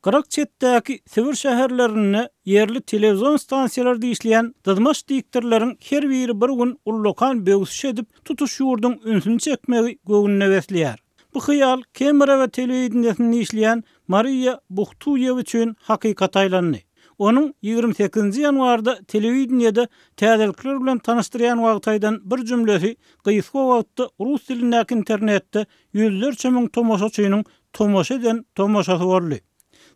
Gyrak çetdäki Sibir şäherlerinde ýerli telewizion stansiýalarda işleýän dyzmaç diktorlaryň her biri bir gün ullakan böwsüş edip, tutuş ýurduň ünsüni çekmegi göwnüne besleýär. Bu hyýal Kemerowo telewideniýesinde işleýän Mariýa Buhtuýewa üçin hakykata aýlandy. Onuň 28-nji ýanwarda telewideniýede täzelikler bilen tanyşdyrýan wagty aýdan bir jümlesi gysga wagtda rus dilindäki internetde ýüzlerçe müň tomaşaçynyň tomaşa eden tomaşasy boldy.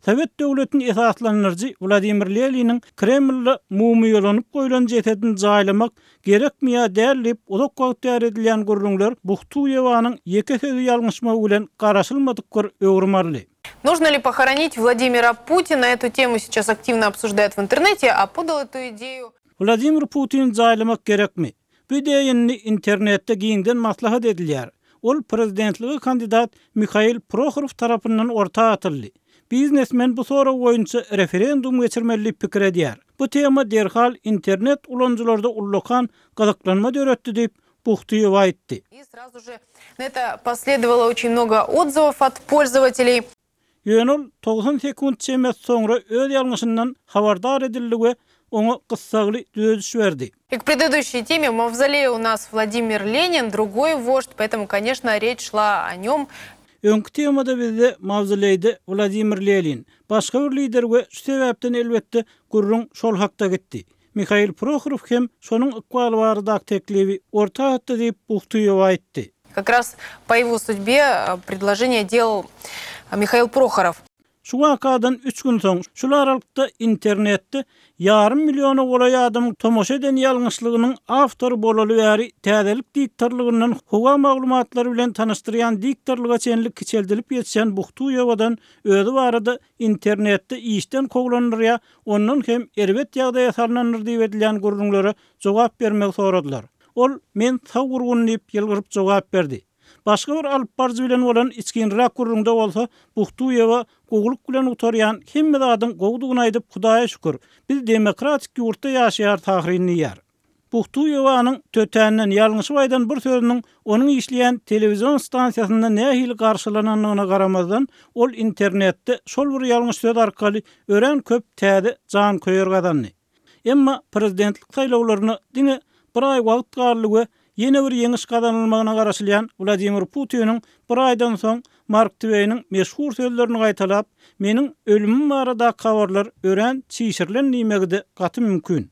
Sowet döwletini esaslandyryjy Wladimir Leniniň Kremlde mumyýalanyp goýlan jesedini jaýlamak gerekmi ýa däl diýip uzak wagt bäri edilýän gürrüňler Buhtuýewanyň ýeke sözi ýalňyşmagy bilen garaşylmadyk bir öwrüm aldy. Нужно ли похоронить Владимира Путина? Эту тему сейчас активно обсуждают в интернете, а подал эту идею. Wladimir Putini jaýlamak gerekmi? Bu ideýa indi internetde giňden maslahat edilýär. Ol prezidentlige kandidat Mihail Prohorow tarapyndan orta atyldy. Biznesmen bu sorag boýunça referendum geçirmeli diýip pikir edýär. Bu tema derhal internet ulanyjylarda ullakan gyzyklanma döretdi diýip, Buhtyýewa aýtdy. И сразу же на это последовало очень много отзывов от пользователей. Ýöne ol 90 sekunt çemesi soňra öz ýalňyşyndan habardar edildi we oňa gyssagly düzediş berdi. И к предыдущей теме в мавзолее у нас Владимир Ленин, другой вождь, поэтому, конечно, речь шла о нем. Öňki temada bizde mawzoleýde Wladimir Lenin, başga bir lider we şu sebäpden elbetde gürrüň şol hakda gitdi. Mihail Prohorow hem şonuň ykbaly baradaky teklibi orta atdy diýip, Buhtuýewa aýtdy. Как раз по его судьбе предложение делал Михаил Прохоров. Şu wakadan üç gün soň, şul aralykda internetde ýarym milliona golaý adamyň tomaşa eden ýalňyşlygynyň awtory bolaly bäri täzelik diktorlygyndan howa maglumatlary bilen tanyşdyrýan diktorlyga çenli kiçeldilip ýetişen Buhtuýewadan özi barada internetde işden kowlandyr ýa ondan hem erbet ýagdaýa salnandyr diýip edilýän gürrüňlere jogap bermegi soradylar. Ol, Men sag-gurgun diýip, ýylgyryp jogap berdi. Başga bir alypbaryjy bilen bolan içginräk gürrüňde bolsa, Buhtuýewa gowulyk bilen gutarýan hemme zadyň gowudygyny aýdyp, Hudaýa şükür, biz demokratik ýurtda ýaşaýarys ahyryn diýýär. Buhtuýewanyň tötänden ýalňyşyp aýdan bir sözüniň onuň işleýän telewizion stansiýasynda nähili garşylanandygyna garamazdan, ol internetde şol bir ýalňyş söz arkaly örän köp täze janköýer gazandy. Emma prezidentlik saýlawlaryna diňe bir aý wagt galdy we ýene bir ýeňiş gazanylmagyna garaşylýan Wladimir Putiniň bir aýdan soň Mark Tweýniň meşhur sözlerini gaýtalap, Meniň ölümim baradaky habarlar örän çişirilen diýmegi-de gaty mümkin.